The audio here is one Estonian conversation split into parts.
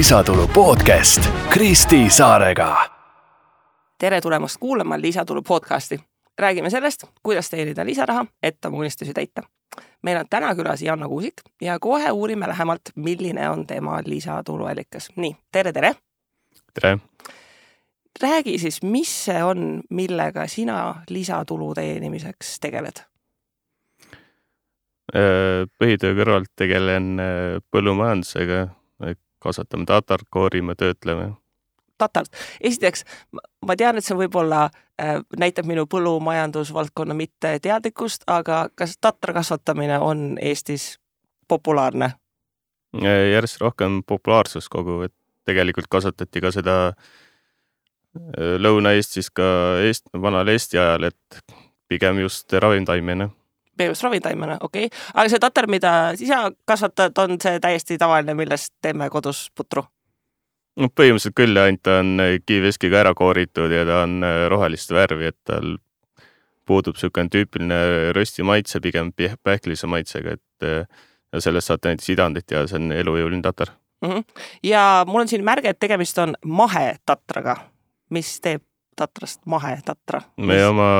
Lisatulu podcast Kristi Saarega. Tere tulemast kuulama Lisatulu podcasti. Räägime sellest, kuidas teenida lisaraha, et oma unistusi täita. Meil on täna külas Janno Kuusik ja kohe uurime lähemalt, milline on tema lisatuluallikas. Nii, tere! Tere! Räägi siis, mis see on, millega sina lisatulu teenimiseks tegeled? Põhitöö kõrvalt tegelen põllumajandusega, kasvatame tatart, koorime, töötleme. Tatart. Esiteks, ma tean, et see võib-olla näitab minu põllumajandusvaldkonna mitte teadlikkust, aga kas tatra kasvatamine on Eestis populaarne? Järjest rohkem populaarsust kogu, et tegelikult kasvatati ka seda Lõuna-Eestis ka vanal Eesti ajal, et pigem just ravimtaimena. Okei. Aga see tatar, mida sisa kasvatad, on see täiesti tavaline, millest teeme kodus putru? No, põhimõtteliselt küll, ainult ta on kiiveskiga ära kooritud ja ta on rohelist värvi, et tal puudub selline tüüpiline rösti maitse, pigem pähklise maitsega, et ja sellest saate näiteks idandit ja see on elujõuline tatar. Ja mul on siin märge, et tegemist on mahetatraga. Mis teeb tatrast mahetatra? Me oma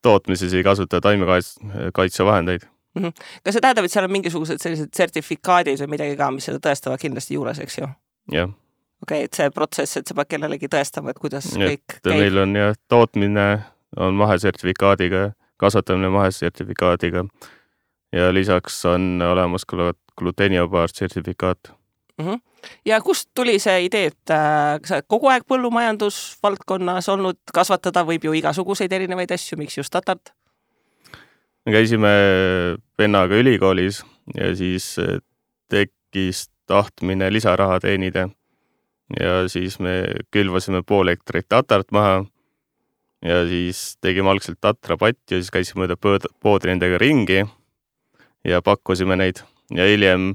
tootmises ei kasuta taimekaitsevahendeid. Kas see tähendab, et seal on mingisugused sellised sertifikaadid või midagi ka, mis seda tõestavad kindlasti juures, eks ju? Jah. Okei, et see protsess, et sa pead kellelegi tõestama, et kuidas kõik käib. Meil on tootmine on mahesertifikaadiga, kasvatamine mahesertifikaadiga ja lisaks on olemas gluteenivabar sertifikaat. Ja kust tuli see idee, et sa kogu aeg põllumajandusvaldkonnas olnud, kasvatada võib ju igasuguseid erinevaid asju, miks just tatart? Me käisime vennaga ülikoolis ja siis tekkis tahtmine lisaraha teenida ja siis me külvasime pool hektarit tatart maha ja siis tegime algselt tatrapatti ja siis käisime mööda poodi nendega ringi ja pakkusime neid ja hiljem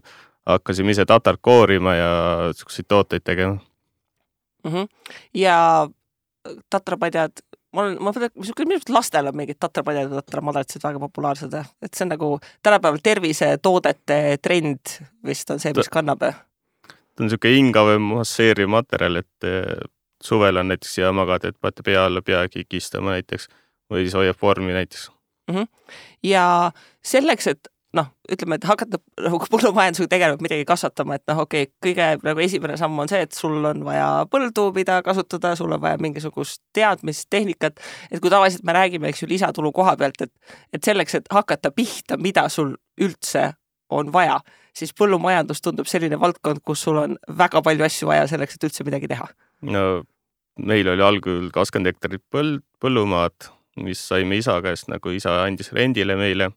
hakkasime ise tatart koorima ja selliseid tooteid tegema. Ja tatrapadjad, minu lastel on mingid tatrapadjad ja tatramadratsid väga populaarsed, et see on nagu tänapäeval tervisetoodete trend vist on see, mis kannab. Ta on selline hingav masseeriv materjal, et suvel on näiteks hea magada, et paate pea alla pea kikistama näiteks või siis hoiab vormi näiteks. Ja selleks, et ütleme, et hakata põllumajandusega tegelema midagi kasvatama, et kõige esimene samm on see, et sul on vaja põldu, mida kasutada, sul on vaja mingisugust teadmist, tehnikat, et kui tavaliselt me räägime, eks ju, lisatulu koha pealt, et selleks, et hakata pihta, mida sul üldse on vaja, siis põllumajandus tundub selline valdkond, kus sul on väga palju asju vaja selleks, et üldse midagi teha. No, meil oli algul 20 hektarit põllumaad, mis saime isa käest, nagu isa andis rendile meile.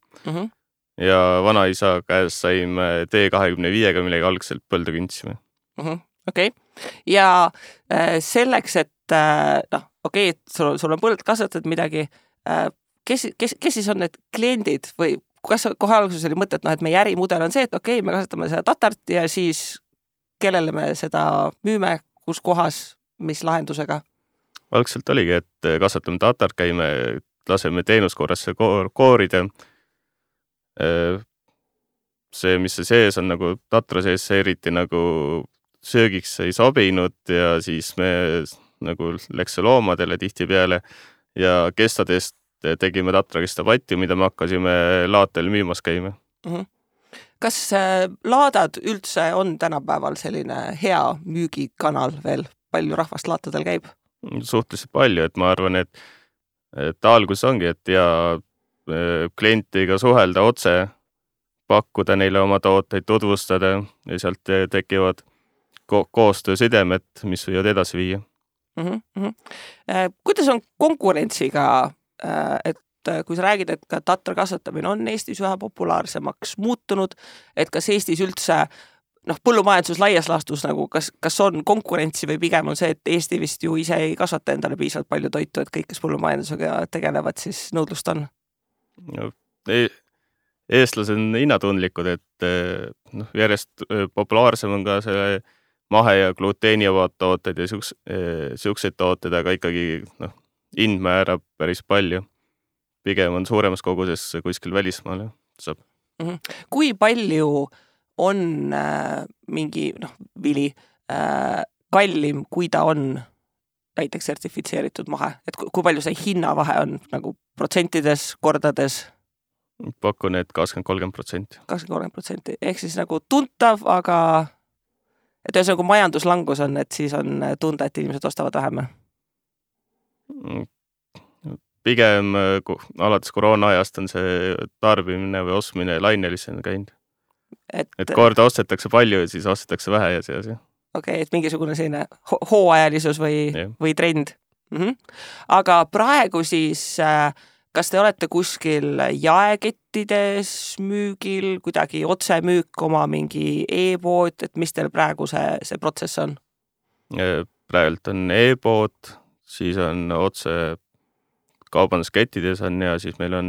Ja vanaisa käes saime T25-ga, millega algselt põldu kündsime. Okei. Ja selleks, et sul on põld, kasvatad midagi, kes siis on need kliendid või kas kohe alguses oli mõte, et meie ärimudel on see, et me kasvatame seda tatart ja siis kellele me seda müüme, kus kohas, mis lahendusega? Algselt oligi, et kasvatame tatart, käime, laseme teenuskorrasse koorida. See, mis see sees on nagu tatra sees, see eriti nagu söögiks ei sobinud ja siis me nagu läks loomadele tihti peale ja kestadest tegime tatra kestapatti, mida me hakkasime laatel müümas käima. Kas laadad üldse on tänapäeval selline hea müügikanal veel? Palju rahvast laatadel käib? Suhteliselt palju, et ma arvan, et algus ongi, et klientiga suhelda otse, pakkuda neile oma tooteid, tutvustada ja sealt tekivad koostöösidemed, mis võivad edasi viia. Kuidas on konkurentsiga, et kui sa räägid, et ka tatra kasvatamine on Eestis üha populaarsemaks muutunud, et kas Eestis üldse põllumajandus laias laastus, kas on konkurentsi või pigem on see, et Eesti vist ju ise ei kasvata endale piisavalt palju toitu, et kõik, kes põllumajandusega tegelevad, siis nõudlust on? Eestlased on hinnatundlikud, et järjest populaarsem on ka see mahe- ja gluteenivad tooted ja siukseid tooted, aga ikkagi hind määrab päris palju. Pigem on suuremas koguses kuskil välismaale saab. Kui palju on mingi vili kallim, kui ta on näiteks sertifitseeritud mahe, et kui palju see hinnavahe on nagu protsentides, kordades? Pakun, et 20-30%. 20-30%, ehk siis nagu tuntav, aga et ühes nagu majanduslangus on, et siis on tunda, et inimesed ostavad vähem. Pigem alates koroona ajast on see tarbimine või ostmine lainelisena käinud. Et korda ostetakse palju ja siis ostetakse vähe ja see asi. Okei, et mingisugune selline hooajalisus või trend. Aga praegu siis, kas te olete kuskil jaekettides müügil, kuidagi otsemüük oma mingi e-pood, et mis teil praegu see protsess on? Praegult on e-pood, siis on otse kaubanduskettides on ja siis meil on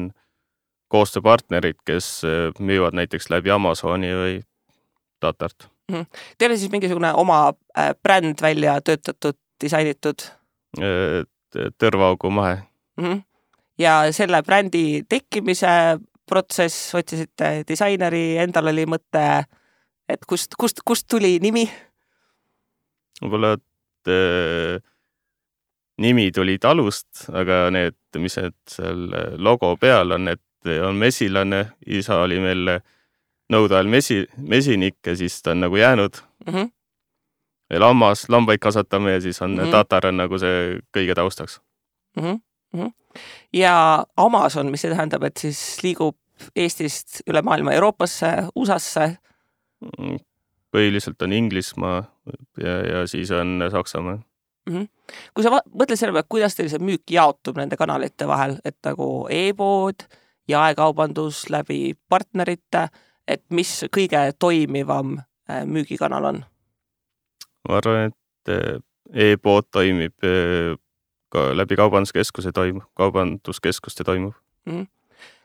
koostööpartnerid, kes müüvad näiteks läbi Amazoni või Tatart. Teil on siis mingisugune oma bränd välja töötatud, disainitud? Tõrvaaugu mahe. Ja selle brändi tekkimise protsess, otsisite disaineri, endal oli mõte, et kust tuli nimi? Võib-olla, et nimi tuli talust, aga need, mis seal logo peal on, et on mesilane, isa oli meil nõude ajal mesinik ja siis ta on nagu jäänud. Lambaid kasvatame ja siis on tatar on nagu see kõige taustaks. Ja Amazon, mis see tähendab, et siis liigub Eestist üle maailma Euroopasse, USA-sse? Põhiliselt on Inglismaa ja siis on Saksamaa. Kui sa mõtled selle peale, kuidas teil see müük jaotub nende kanalite vahel, et nagu e-pood, jaekaubandus läbi partnerite, et mis kõige toimivam müügikanal on? Ma arvan, et e-pood toimib ka läbi kaubanduskeskuste toimub.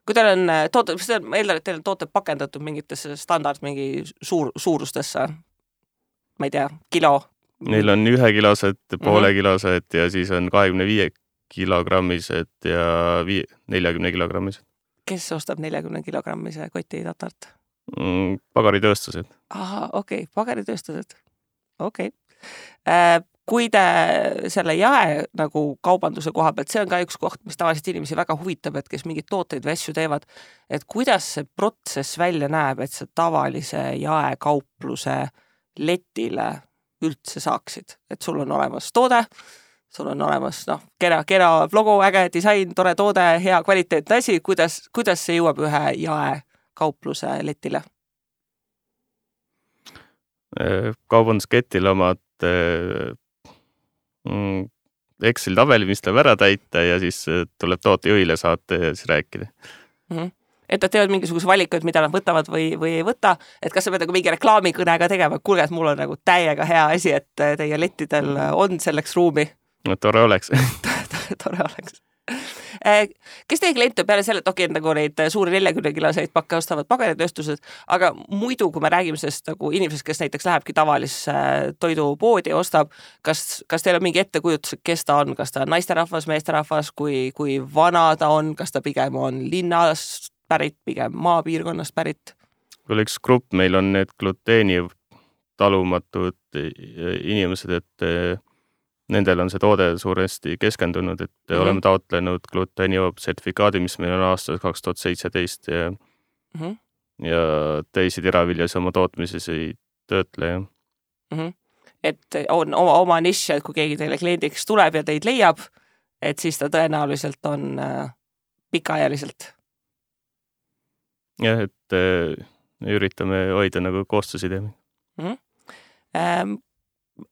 Kui teil on toote, ma eeldan, et teil on toote pakendatud mingitesse standard, mingi suurustesse, ma ei tea, kilo? Neil on 1 kilosed, poole kilosed ja siis on 25 kilogrammised ja 40 kilogrammised. Kes ostab 40 kilogrammise koti tatart? Pagaritööstused. Aha, okei, pagaritööstused. Okei. Kui te selle jae nagu kaubanduse koha pealt, see on ka üks koht, mis tavaliselt inimesi väga huvitab, et kes mingid tooteid või asju teevad, et kuidas see protsess välja näeb, et see tavalise jaekaupluse letile üldse saaksid, et sul on olemas toode, sul on olemas kena logo, äge disain, tore toode, hea kvaliteetne asi, kuidas see jõuab ühe jaekaupluse letile? Kaubandusketil omad Excel tabeli, mis tuleb ära täita ja siis tuleb tootejuhile saata ja siis rääkida. Et nad teevad mingisuguse valikud, mida nad võtavad või ei võta, et kas sa pead nagu mingi reklaamikõnega tegema, et kuulge, et mul on nagu täiega hea asi, et teie lettidel on selleks ruumi. No, tore oleks. Tore oleks. Kes teie kliente peale selle, et okei, nagu neid suuri 40-kiloseid pakke ostavad pagaritööstused, aga muidu, kui me räägime sellest nagu inimesest, kes näiteks lähebki tavalisse toidupoodi ja ostab, kas teil on mingi ettekujutus, kes ta on, kas ta on naisterahvas, meesterahvas, kui vana ta on, kas ta pigem on linnas pärit, pigem maapiirkonnast pärit? Kui üks grupp, meil on need gluteeni talumatud inimesed, et nendel on see toode suuresti keskendunud, et oleme taotlenud gluteenivaba sertifikaadi, mis meil on aastal 2017 ja teisi teraviljas oma tootmises ei töötle. Et on oma nišš, et kui keegi teile kliendiks tuleb ja teid leiab, et siis ta tõenäoliselt on pikaajaliselt. Jah, et üritame hoida nagu koostöösidemeid.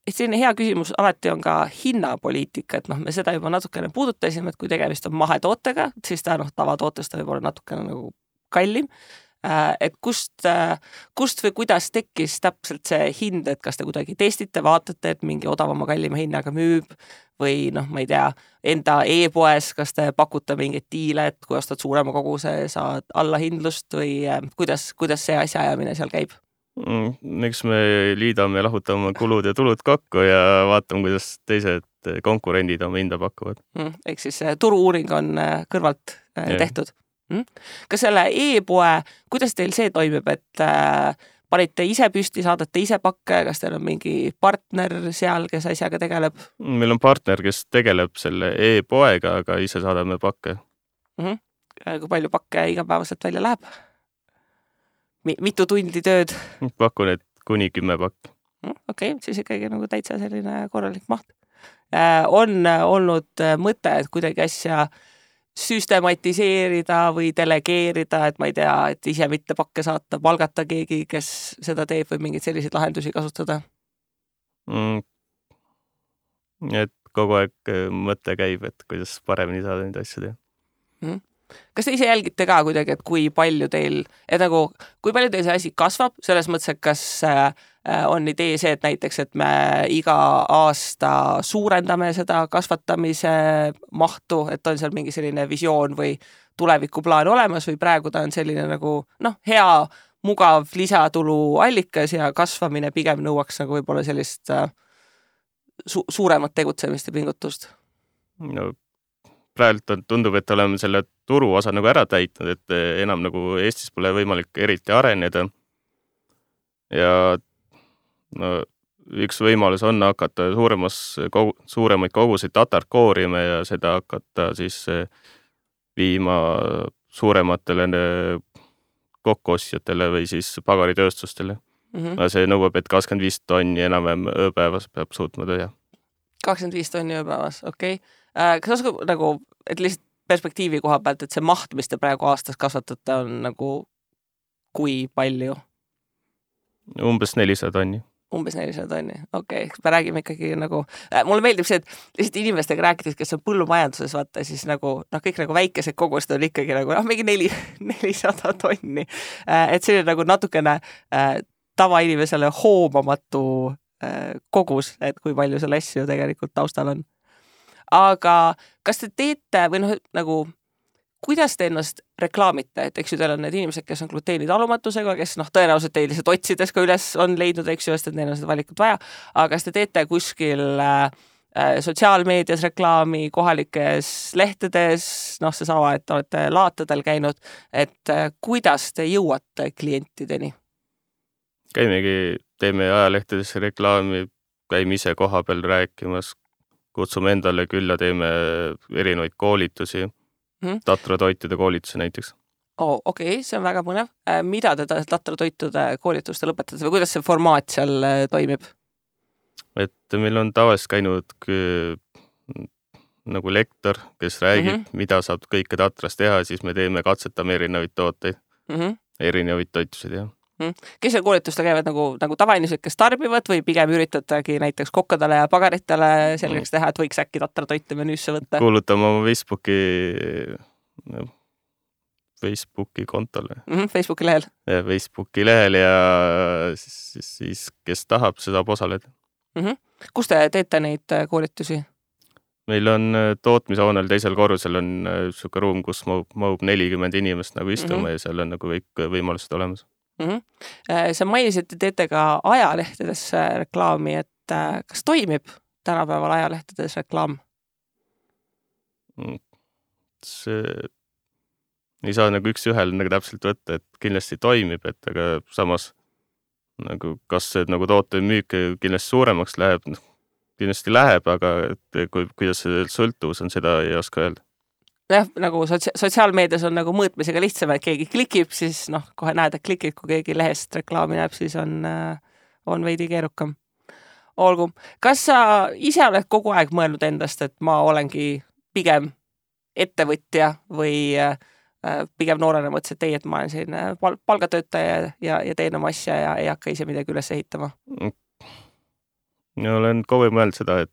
Selline hea küsimus alati on ka hinnapoliitika, et me seda juba natukene puudutasime, et kui tegemist on mahetootega, siis ta tavatootest võib olla natukene nagu kallim. Et kust või kuidas tekkis täpselt see hind, et kas te kuidagi testite, vaatate, et mingi odavama kallima hinnaga müüb või ma ei tea, enda e-poes, kas te pakute mingeid diile, et kui ostad suurema koguse, saad allahindlust või kuidas see asjaajamine seal käib? Eks me liidame ja lahutame kulud ja tulud kokku ja vaatame, kuidas teised konkurendid oma hinda pakuvad. Ehk siis turu-uuring on kõrvalt tehtud. Kas selle e-poe, kuidas teil see toimib, et panite ise püsti, saadate ise pakke, kas teil on mingi partner seal, kes asjaga tegeleb? Meil on partner, kes tegeleb selle e-poega, aga ise saadame pakke. Kui palju pakke igapäevaselt välja läheb? Mitu tundi tööd? Pakun, et kuni 10 pakki. Okei, siis ikkagi nagu täitsa selline korralik maht. On olnud mõte, et kuidagi asja süstematiseerida või delegeerida, et ma ei tea, et ise mitte pakke saata, palgata keegi, kes seda teeb või mingeid selliseid lahendusi kasutada? Et kogu aeg mõte käib, et kuidas paremini saada neid asju teha. Kas te ise jälgite ka kuidagi, et kui palju teil see asi kasvab, selles mõttes, et kas on idee see, et näiteks, et me iga aasta suurendame seda kasvatamise mahtu, et on seal mingi selline visioon või tulevikuplaan olemas või praegu ta on selline nagu hea, mugav lisatulu allikas ja kasvamine pigem nõuaks nagu võib-olla sellist suuremat tegutsemist ja pingutust? No praegu tundub, et oleme selle turu osa nagu ära täitnud, et enam nagu Eestis pole võimalik eriti areneda. Ja üks võimalus on hakata suuremaid koguseid tatart koorima ja seda hakata siis viima suurematele kokkuostjatele või siis pagaritööstustele. See nõuab, et 25 tonni enam ööpäevas peab suutma teha. 25 tonni ööpäevas, okei. Kas oskab nagu, et lihtsalt perspektiivi koha pealt, et see maht, mis te praegu aastas kasvatate, on nagu kui palju? Umbes 400 tonni. Umbes 400 tonni, okei. Me räägime ikkagi nagu, mulle meeldib see, et lihtsalt inimestega rääkides, kes on põllumajanduses, vaata siis nagu, kõik nagu väikesed kogused on ikkagi nagu, mingi 400 tonni. Et see on nagu natukene tavainimesele hoomamatu kogus, et kui palju selle asju tegelikult taustal on. Aga kas te teete või nagu, kuidas te ennast reklaamite, et eks ju teil on need inimesed, kes on gluteenitalumatusega, kes tõenäoliselt teil lihtsalt otsides ka üles on leidnud, eks ju, et neil on seda valikut vaja, aga kas te teete kuskil sotsiaalmeedias reklaami, kohalikes lehtedes, seesama, et olete laatadel käinud, et kuidas te jõuate klientideni? Teeme ajalehtedesse reklaami, käime ise koha peal rääkimas, kutsume endale külla, teeme erinevaid koolitusi, tatratoitude koolitusi näiteks. Okei, see on väga põnev. Mida te tatratoitude koolituste lõpetate või kuidas see formaat seal toimib? Et meil on tavaliselt käinud nagu lektor, kes räägib, mida saab kõike tatras teha, siis me katsetame erinevaid tooteid, erinevaid toitusid teha. Kes seal koolituste käivad nagu tavainimesed, kes tarbivad või pigem üritatagi näiteks kokkadele ja pagaritele selgeks teha, et võiks äkki tatratoite menüüsse võtta? Kuulutame oma Facebooki kontole. Facebooki lehel? Facebooki lehel ja siis kes tahab, see saab osaleda. Kus te teete neid koolitusi? Meil on tootmishoonel teisel korrusel on suke ruum, kus mahub 40 inimest nagu istuma ja seal on nagu kõik võimalused olemas. Sa mainisid, et teete ka ajalehtedes reklaami, et kas toimib tänapäeval ajalehtedes reklaam? See ei saa nagu üks ühel nagu täpselt võtta, et kindlasti toimib, et aga samas nagu kas see nagu toote müük kindlasti suuremaks läheb, kindlasti läheb, aga kuidas see sõltuvus on, seda ei oska öelda. Jah, nagu sotsiaalmeedias on nagu mõõtmisega lihtsam, et keegi klikib, siis kohe näed, et klikid, kui keegi lehest reklaami näeb, siis on veidi keerukam. Olgu, kas sa ise oled kogu aeg mõelnud endast, et ma olengi pigem ettevõtja või pigem noorena mõtlesin, et et ma olen selline palgatöötaja ja teen oma asja ja ei hakka ise midagi üles ehitama? Olen kogu aeg mõelnud seda, et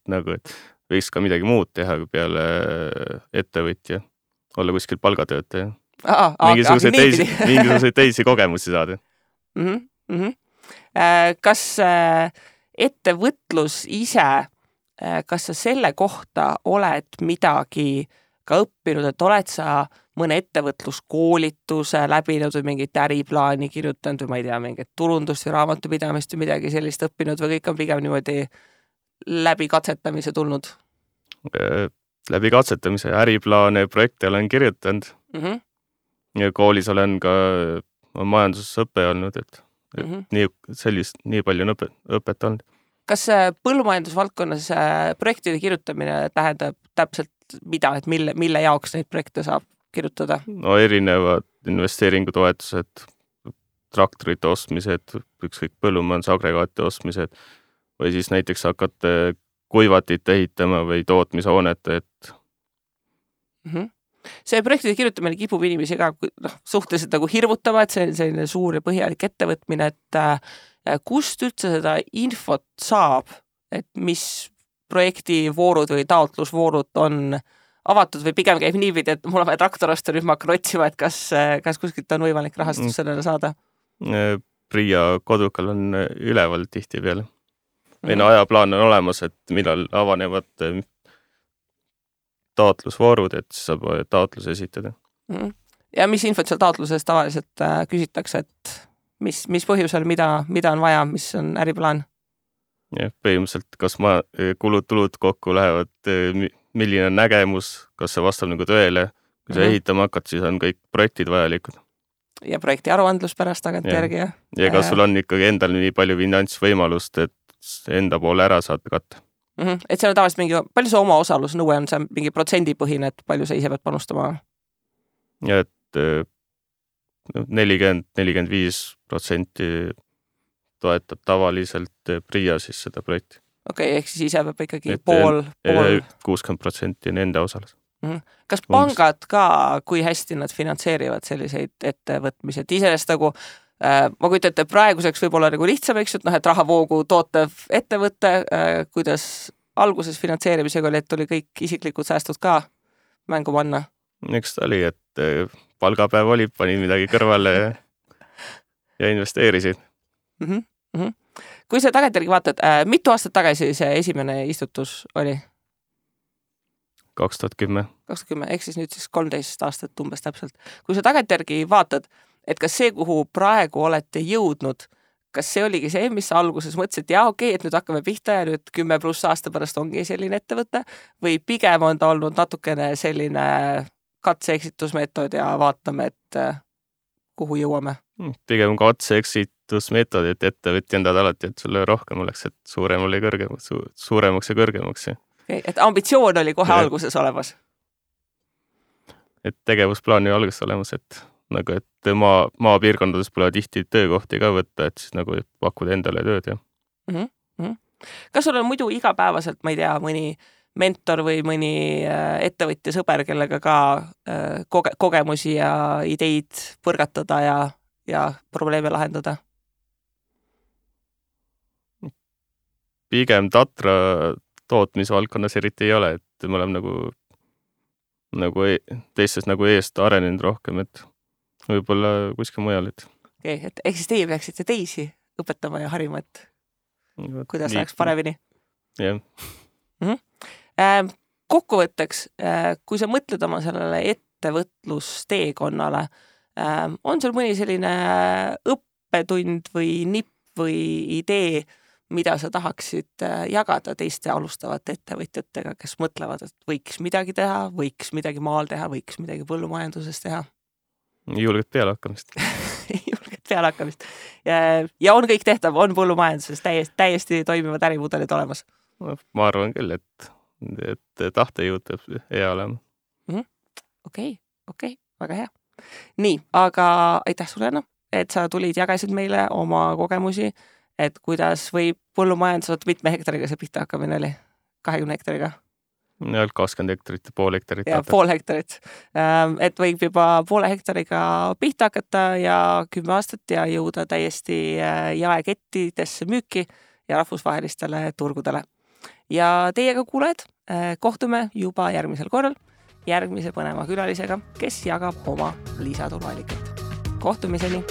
võiks ka midagi muud teha peale ettevõtja, olla kuskil palgatöötaja. Mingisuguseid teisi kogemusi saada. Kas ettevõtlus ise, kas sa selle kohta oled midagi ka õppinud, et oled sa mõne ettevõtluskoolituse läbinud või mingit äriplaani kirjutanud või ma ei tea, mingit turundust või raamatupidamist või midagi sellist õppinud või kõik on pigem niimoodi läbi katsetamise tulnud? Läbi katsetamise äriplaane ja projekte olen kirjutanud. Ja koolis olen ka majanduses õppe olnud, nii palju on õpet olnud. Kas põllumajandusvaldkonnas projektide kirjutamine tähendab täpselt mida, et mille jaoks neid projekte saab kirjutada? No erinevad investeeringutoetused, traktorite ostmised, ükskõik põllumajandusagregaati ostmised või siis näiteks hakata kuivatit ehitama või tootmishoonet, et See projektide kirjutamine kipub inimesi ka suhteliselt nagu hirmutama, et see on selline suur ja põhjalik ettevõtmine, et kust üldse seda infot saab, et mis projektivoorud või taotlusvoorud on avatud või pigem käib niipidi, et mul on vaja traktor osta, nüüd ma hakkan otsima, et kas kuskilt on võimalik rahastus sellele saada? PRIA kodukal on üleval tihtipeale. Või ajaplaan on olemas, et millal avanevad taotlusvoorud, et saab taotluse esitada. Ja mis infot seal taotluses tavaliselt küsitakse, et mis põhjusel, mida on vaja, mis on äriplaan? Ja, põhimõtteliselt, kas kulud-tulud kokku lähevad, milline on nägemus, kas see vastab nagu tõele, kui sa ehitama hakkad, siis on kõik projektid vajalikud. Ja projekti aruandlus pärast tagantjärgi. Ja kas sul on ikkagi endal nii palju finantsvõimalust, et enda poole ära saad katta? Et seal on tavaliselt palju see oma osalusnõue on, see mingi protsendipõhine, et palju sa ise pead panustama? Ja, et 40-45% toetab tavaliselt PRIA siis seda projekti. Okei, ehk siis ise peab ikkagi pool. 60% on enda osalus. Kas pangad ka, kui hästi nad finantseerivad selliseid ettevõtmisi, et iseenesest nagu ma kujutan, et praeguseks võib olla nagu lihtsam, eks, et rahavoogu tootev ettevõte, kuidas alguses finantseerimisega oli, et oli kõik isiklikud säästud ka mängu panna? Eks ta oli, et palgapäev oli, pani midagi kõrvale ja investeerisid. Kui sa tagantjärgi vaatad, mitu aastat tagasi see esimene istutus oli? 2010. Ehk siis nüüd 13 aastat umbes täpselt. Kui sa tagantjärgi vaatad, et kas see, kuhu praegu olete jõudnud, kas see oligi see, mis sa alguses mõtlesid, et okei, et nüüd hakkame pihta ja nüüd 10+ aasta pärast ongi selline ettevõte või pigem on ta olnud natukene selline katse-eksitusmeetod ja vaatame, et kuhu jõuame? Pigem katse-eksitusmeetod, et ettevõtja endad alati, et sulle rohkem oleks, et suuremaks ja kõrgemaks. Et ambitsioon oli kohe alguses olemas? Et tegevusplaan oli alguses olemas, et maapiirkondades pole tihti töökohti ka võtta, et siis nagu pakkuda endale tööd. Kas sul on muidu igapäevaselt, ma ei tea, mõni mentor või mõni ettevõtja sõber, kellega ka kogemusi ja ideid põrgatada ja probleeme lahendada? Pigem Tatra tootmisvaldkonnas eriti ei ole, et me oleme nagu teistes nagu eest arenenud rohkem, et võib-olla kuskil mujal. Et ehk siis teie peaksite teisi õpetama ja harima, et kuidas läheks paremini? Jah. Kokkuvõtteks, kui sa mõtled oma sellele ettevõtlusteekonnale, on sul mõni selline õppetund või nipp või idee, mida sa tahaksid jagada teiste alustavate ettevõtjatega, kes mõtlevad, et võiks midagi teha, võiks midagi maal teha, võiks midagi põllumajanduses teha? Julget pealehakkamist. Julget pealehakkamist. Ja on kõik tehtav, on põllumajanduses täiesti toimivad ärimudelid olemas? Ma arvan küll, et tahtejõud peab hea olema. Okei, väga hea. Nii, aga aitäh sulle, et sa tulid, jagasid meile oma kogemusi, et kuidas võib põllumajandus, mitme hektariga see pihta hakkamine oli? 20 hektariga? 20 hektarit ja pool hektarit. Ja pool hektarit. Et võib juba poole hektariga pihta hakata ja 10 aastat ja jõuda täiesti jaekettidesse müüki ja rahvusvahelistele turgudele. Ja teiega kuuled, kohtume juba järgmisel korral järgmise põneva külalisega, kes jagab oma lisatuluallikat. Kohtumiseni!